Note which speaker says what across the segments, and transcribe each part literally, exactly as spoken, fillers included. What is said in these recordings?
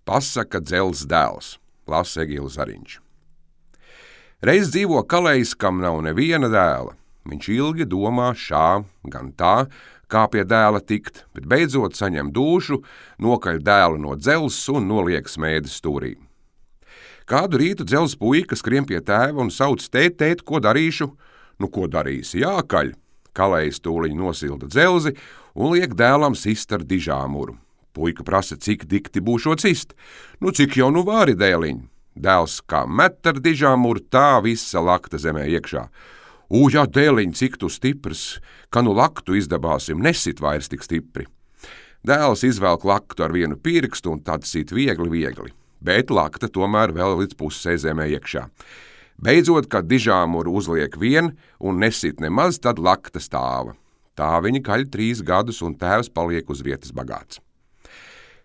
Speaker 1: Pasaka dzels dēls, lasa Egīls Zariņš. Reiz dzīvo kalējs, kam nav neviena dēla. Viņš ilgi domā šā, gan tā, kā pie dēla tikt, bet beidzot saņem dūšu, nokaļ dēlu no dzels un noliek smēdes stūrī. Kādu rītu dzels puika skrien pie tēva un sauc: tēt, tēt, ko darīšu? Nu, ko darīsi? Jākaļ. Kalējs tūliņ nosilda dzelzi un liek dēlam sist ar dižāmuru. Puika prasa, cik dikti būšot cist. Nu, cik jau nu vari, dēliņ? Dēls kā met ar dižāmuru, tā visa lakta zemē iekšā. Ū, jā, dēliņ, cik tu stiprs, ka nu laktu izdabāsim, nesit vairs tik stipri. Dēls izvelk laktu ar vienu pirkstu un tad sit viegli, viegli, bet lakta tomēr vēl līdz pusē zemē iekšā. Beidzot, kad dižāmuru uzliek vien un nesit nemaz, tad lakta stāva. Tā viņi kaļ trīs gadus un tēvs paliek uz vietas bagāts.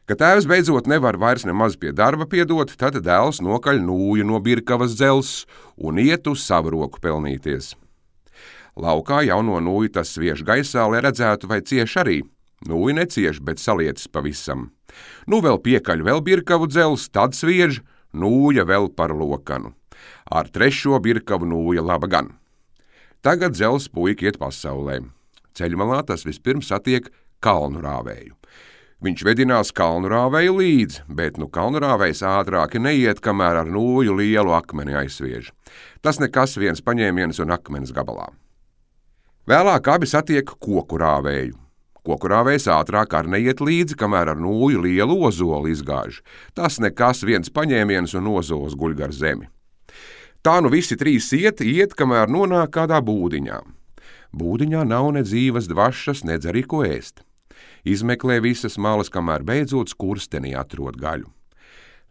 Speaker 1: Kad tēvs beidzot nevar vairs nemaz pie darba piedot, tad dēls nokaļ nūju no Birkavas dzels un iet uz savu roku pelnīties. Laukā jauno nūju tas sviež gaisā, lai redzētu, vai cieš arī. Nūju necieš, bet salietas pavisam. Nu vēl piekaļ vēl Birkavu dzels, tad sviež, nūja vēl par lokanu. Ar trešo Birkavu nūja laba gan. Tagad dzels puika iet pasaulē. Ceļmalā tas vispirms satiek kalnu rāvēju. Viņš vedinās kalnu rāvēju līdzi, bet nu kalnu rāvējs ātrāki neiet, kamēr ar nūju lielu akmeni aizsviež. Tas nekas, viens paņēmiens un akmenis gabalā. Vēlāk abi satiek koku rāvēju. Koku rāvējs ātrāk ar neiet līdzi, kamēr ar nūju lielu ozolu izgāž. Tas nekas, viens paņēmiens un ozols guļ gar zemi. Tā nu visi trīs iet, iet, kamēr nonāk kādā būdiņā. Būdiņā nav ne dzīves dvašas, nedz arī ko ēst. Izmeklē visas malas, kamēr beidzot skurstenī atrod gaļu.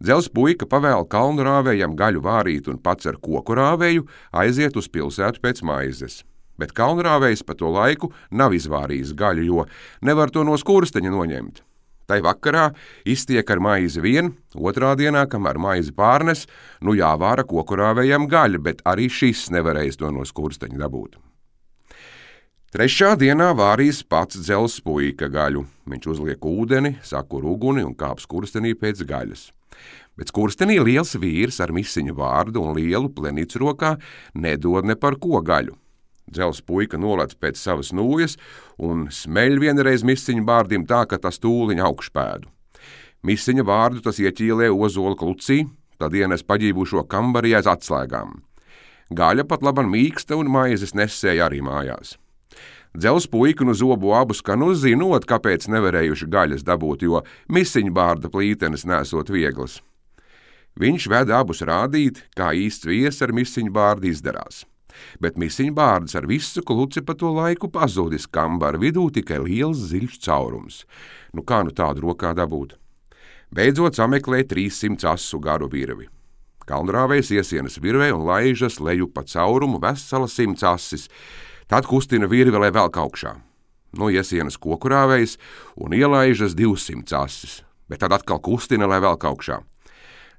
Speaker 1: Dzels puika pavēl kalnu rāvējam gaļu vārīt un pats ar koku rāvēju aiziet uz pilsētu pēc maizes. Bet kalnu rāvējs pa to laiku nav izvārījis gaļu, jo nevar to no skursteņa noņemt. Tai vakarā iztiek ar maizi vien, otrā dienā, kamēr maizi pārnes, nu jāvāra koku rāvējam gaļa, bet arī šis nevarēs to no skursteņa dabūt. Trešā dienā vārīs pats dzels puika gaļu. Viņš uzliek ūdeni, sakur uguni un kāp skurstenī pēc gaļas. Bet skurstenī liels vīrs ar misiņu vārdu un lielu plenicu rokā nedod ne par ko gaļu. Dzels puika nolec pēc savas nūjas un smeļ vienreiz misiņu vārdim tā, ka tas tūliņ augšpēdu. Misiņa vārdu tas ieķīlē ozola klucī, tad ienes paģībušo kambarī aiz atslēgām. Gaļa pat laban mīksta un maizes nesēja arī mājās. Dzels puika nu zobu abus, ka nu zinot, kāpēc nevarējuši gaļas dabūt, jo misiņbārda plītenes nesot vieglas. Viņš ved abus rādīt, kā īsts vies ar misiņbārdu izdarās. Bet misiņbārds ar visu kluci pa to laiku pazudis, kambara vidū tikai liels ziļš caurums. Nu kā nu tādu rokā dabūt? Beidzot sameklē trīssimt asu garu virvi. Kalnrāvējs iesienas virvē un laižas leju pa caurumu vesela simts asis. Tad kustina virvi, lai velk augšā. Nu iesienas kokurāvējs un ielaižas divsimt asis, bet tad atkal kustina, lai velk augšā.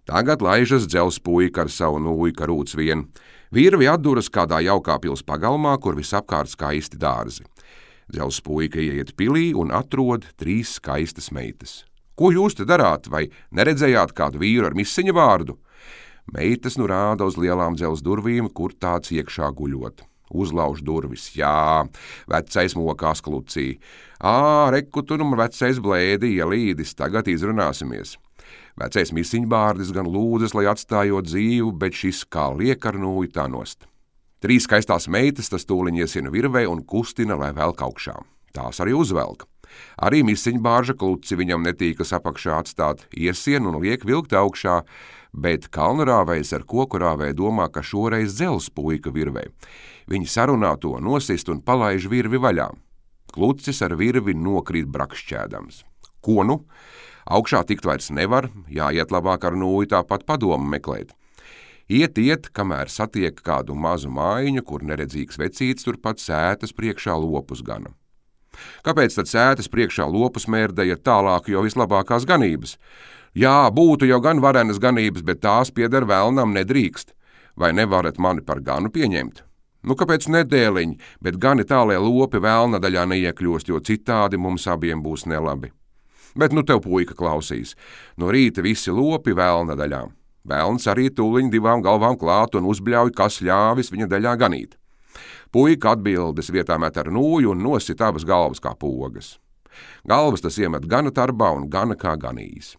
Speaker 1: Tagad laižas dzels puika ar savu nūju karūts vien. Virvi atduras kādā jaukā pils pagalmā, kur visapkārt skaisti dārzi. Dzels puika ieiet pilī un atrod trīs skaistas meitas. Ko jūs te darāt, vai neredzējāt kādu vīru ar misiņa vārdu? Meitas nu rāda uz lielām dzels durvīm, kur tāds iekšā guļot. Uzlauž durvis, jā, vecais mokās klucī. Ā, reku tu nu vecais blēdi ielīdis, tagad izrunāsimies. Vecais misiņbārdis gan lūdzas, lai atstājot dzīvu, bet šis kā liek ar nūju tā nost. Trīs skaistās meitas tas tūliņ iesina virvē un kustina, lai velk augšā. Tās arī uzvelk. Arī misiņbārža kluci viņam netīkas apakšā atstāt, iesien un liek vilkt augšā, bet kalnrāvējs ar kokurāvēju domā, ka šoreiz dzels puika virvē. Viņi sarunā to nosist un palaiž virvi vaļā. Klucis ar virvi nokrīt brakšķēdams. Ko nu? Augšā tikt vairs nevar, jāiet labāk ar nūju tāpat padomu meklēt. Iet, iet, kamēr satiek kādu mazu mājiņu, kur neredzīgs vecīts turpat sētas priekšā lopus gana. Kāpēc tad sētas priekšā lopus mērdēja tālāk jau vislabākās ganības? Jā, būtu jau gan varenas ganības, bet tās pieder velnam nedrīkst. Vai nevarat mani par ganu pieņemt? Nu, kāpēc nedēliņi, bet gani tā, lai lopi velna daļā neiekļūst, jo citādi mums abiem būs nelabi. Bet nu tev puika klausīs. No rīta visi lopi velna daļā. Velns arī tūliņ divām galvām klāt un uzbļauj, kas ļāvis viņa daļā ganīt. Puika atbildes vietā met ar nūju un nosit abas galvas kā pogas. Galvas tas iemet gana tarbā un gana kā ganījis.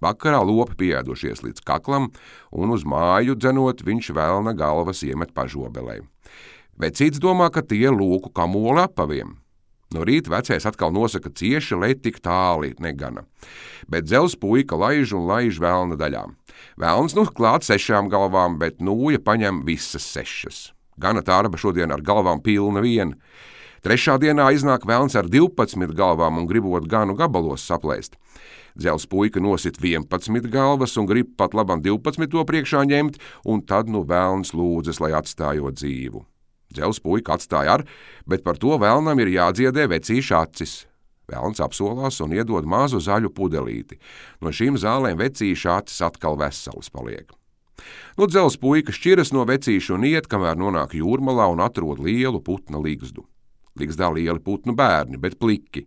Speaker 1: Vakarā lopi pieēdušies līdz kaklam, un uz māju dzenot viņš velna galvas iemet pažobelē. Vecīts domā, ka tie lūku kamoli apaviem. No rīta vecais atkal nosaka cieši, lai tik tāli negana. Bet dzels puika laiž un laiž velna daļā. Velns nu klāt sešām galvām, bet nūja paņem visas sešas. Gana tarba šodien ar galvām pilna viena. Trešā dienā iznāk velns ar divpadsmit galvām un gribot ganu gabalos saplēst. Dzels puika nosit vienpadsmit galvas un grib pat labam divpadsmit to priekšā ņemt, un tad nu velns lūdzas, lai atstājot dzīvu. Dzels puika atstāja ar, bet par to velnam ir jādziedē vecīša acis. Velns apsolās un iedod mazu zaļu pudelīti. No šīm zālēm vecīša acis atkal veselas paliek. Nu dzels puika šķiras no vecīša un iet, kamēr nonāk jūrmalā un atrod lielu putna ligzdu. Ligzdā lieli putnu bērni, bet pliki.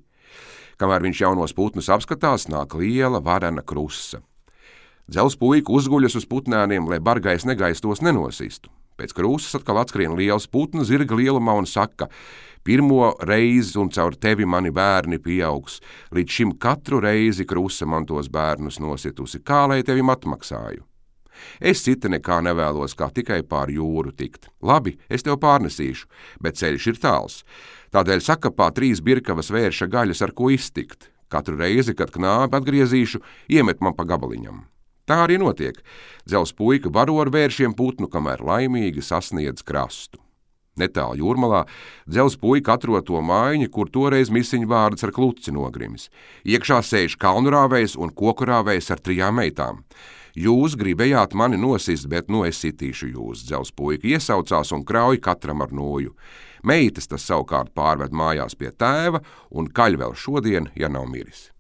Speaker 1: Kamēr viņš jaunos putnus apskatās, nāk liela varena krusa. Dzels puika uzguļas uz putnēniem, lai bargais negaiss tos nenosistu. Pēc krūzes atkal atskrien liels putna zirga lielumā un saka: pirmo reizi un caur tevi mani bērni pieaugs, līdz šim katru reizi krusa man tos bērnus nositusi, kā lai tevim atmaksāju. Es cita nekā nevēlos, kā tikai pār jūru tikt. Labi, es tev pārnesīšu, bet ceļš ir tāls. Tādēļ sakapā trīs birkavas vērša gaļas, ar ko iztikt. Katru reizi, kad knābi atgriezīšu, iemet man pa gabaliņam. Tā arī notiek. Dzels puika baro ar vēršiem putnu, kamēr laimīgi sasniedz krastu. Netālu jūrmalā dzels puika atrod to mājiņu, kur toreiz misiņu vārds ar kluci nogrimis. Iekšā sēž kalnurāvējs un kokurāvējs ar trijām meitām. Jūs gribējāt mani nosist, bet nu es sitīšu jūs, dzels puika iesaucās un krauj katram ar noju. Meitas tas savukārt pārved mājās pie tēva un kaļ vēl šodien, ja nav miris.